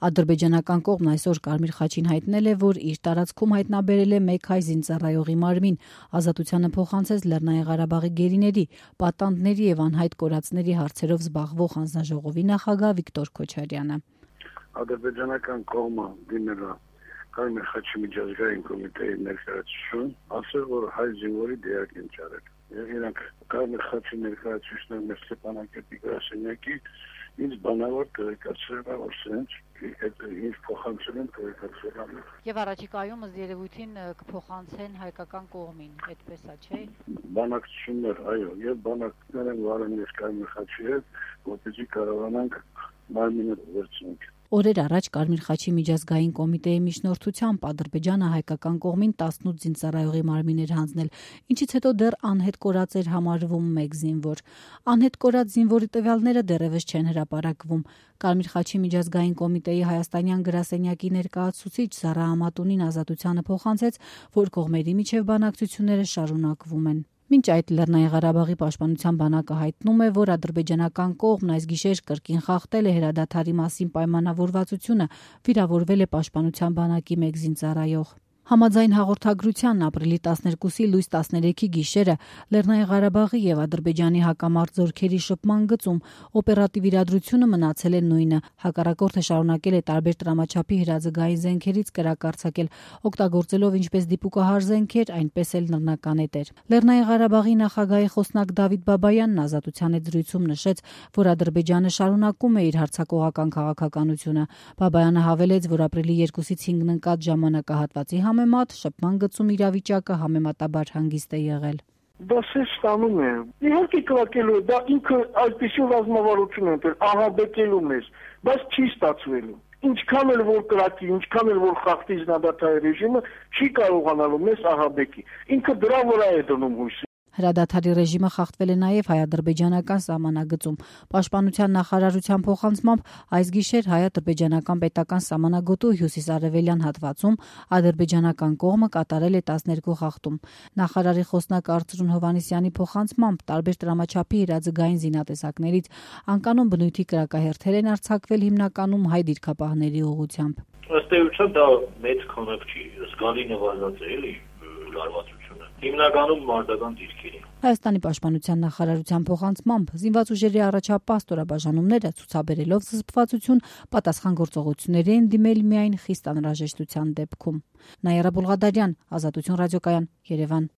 Ադրբեջանական կողմն այսօր Կարմիր խաչին հայտնել է, որ իր տարածքում հայտնաբերել է մեկ հայ զինծառայողի մարմին, ազատությանը փոխանցեց Լեռնային Ղարաբաղի գերիների, պատանդների եւ անհայտ կորածների հարցերով զբաղվող հանձնաժողովի նախագահ Վիկտոր Քոչարյանը։ Ադրբեջանական կողմը դիմել է Կարմիր խաչի միջազգային կոմիտեի ներկայացուցիչին, ասել, որ հայ զինվորի դերակ են ճարել։ Իրանք Կարմիր խաչի ներկայացուցիչն մեր Ստեփանակերտի գրասենյակի ինձ բանավոր տեղեկացրել է, որ սենց ինձ փոխանցել են տեղեկացրել։ Եվ առաջիկայում ըստ երևույթին կփոխանցեն հայկական կողմին, այդպես է, չէ՞։ Բանակցություններ, այո, եւ բանակցություններ են վարել մեր Կարմիր խաչի հետ, որպեսզի կարողանանք մարմինը վերցնենք։ Օրեր առաջ Կարմիր խաչի միջազգային կոմիտեի միջնորդությամբ Ադրբեջանը հայկական կողմին 18 զինծառայողի մարմին էր հանձնել, ինչից հետո դեռ անհետ կորած էր համարվում մեկ զինվոր։ Անհետ կորած զինվորի տվյալները դեռևս չեն հրապարակվում։ Կարմիր խաչի միջազգային կոմիտեի հայաստանյան գրասենյակի ներկայացուցիչ Զարա Ամատունին ազատությանը փոխանցեց, որ կողմերի միջև բանակցությունները շարունակվում են։ Մինչ այդ Լեռնային Ղարաբաղի պաշտպանության բանակը հայտնում է, որ ադրբեջանական կողմն այս գիշեր կրկին խախտել է հրադադարի մասին պայմանավորվածությունը, վիրավորվել է պաշտպանության բանակի մեկ զինծառայող։ Համաձայն հաղորդագրության ապրիլի 12-ի լույս 13-ի գիշերը Լեռնային Ղարաբաղի եւ Ադրբեջանի հակամարտ զորքերի շփման գծում օպերատիվ իրադրությունը մնացել է նույնը։ Հակառակորդը շարունակել է տարբեր տրամաչափի հրաձգային զենքերից կրակարձակել, օգտագործելով ինչպես դիպուկահար զենքեր, այնպես էլ նռնականետեր։ Լեռնային Ղարաբաղի նախագահի խոսնակ Դավիթ Բաբայանն ազատության հետ զրույցում նշեց, որ Ադրբեջանը շարունակում է իր հարձակողական քաղաքականությունը։ Բաբայանը հավելեց, որ ապրիլի 2-ից 5-ն ընկած ժամանակահատվածի համեմատ շփման գծում իրավիճակը համեմատաբար հանգիստ է եղել։ Դա սեզ ստանում է։ Իհարկե կրակելու է, դա ինքը այդպիսի ռազմավարություն է, ահաբեկելու մեզ, բայց չի ստացվելու։ Ինչքան էլ որ կրակի, ինչքան էլ որ խախտի զինադատարի ռեժիմը, չի կարողանալու մեզ ահաբեկի։ Ինքը դրա վրա է դնում հույս։ Հրադադարի ռեժիմը խախտվել է նաև հայ-ադրբեջանական սահմանագծում։ Պաշտպանության նախարարության փոխանցմամբ այս գիշեր հայ-ադրբեջանական պետական սահմանագոտու հյուսիսարևելյան հատվածում ադրբեջանական կողմը կատարել է 12 խախտում։ Նախարարի խոսնակ Արծրուն Հովհաննիսյանի փոխանցմամբ տարբեր տրամաչափի իրազգային զինատեսակներից անկանոն բնույթի կրակահերթեր են արձակվել հիմնականում հայ դիրքապահների ուղղությամբ։ Ըստ էության դա մեծ քանակ չի, զգալի նվազած է էլի լարվածությունը։ Հիմնականում մարտական դիրքերի։ Հայաստանի պաշտպանության նախարարության փոխանցմամբ զինված ուժերի առաջապահ ստորաբաժանումները ցուցաբերելով զսպվածություն պատասխան գործողությունների են դիմել միայն խիստ անհրաժեշտության դեպքում։ Նաիրա Բուլղադարյան, Ազատություն ռադիոկայան, Երևան։